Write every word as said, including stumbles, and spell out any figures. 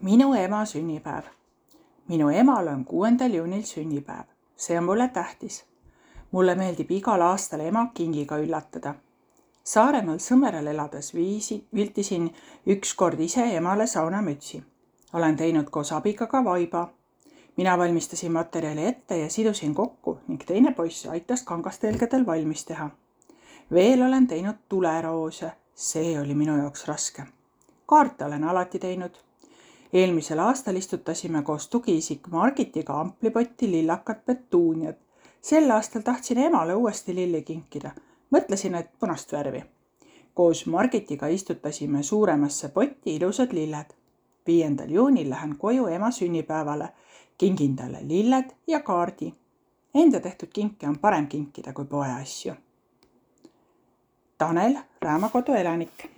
Minu ema sünnipäev. Minu emal on kuuendal juunil sünnipäev. See on mulle tähtis. Mulle meeldib igal aastal ema kingiga üllatada. Saaremaal Sõmeral elades viisi, viltisin üks kord ise emale saunamütsi. Olen teinud koos abiga ka vaiba. Mina valmistasin materjali ette ja sidusin kokku ning teine poiss aitas kangastelgedel valmis teha. Veel olen teinud tuleroose. See oli minu jaoks raske. Kaarte olen alati teinud. Eelmisel aastal istutasime koos tugiisik Margitiga amplipotti lillakat petuuniat. Sel aastal tahtsin emale uuesti lilli kinkida. Mõtlesin, et punast värvi. Koos Margitiga istutasime suuremasse potti ilusad lilled. viiendal juunil lähen koju ema sünnipäevale. Kingin talle lilled ja kaardi. Enda tehtud kinke on parem kinkida kui poe asju. Tanel, Räämakodu elanik.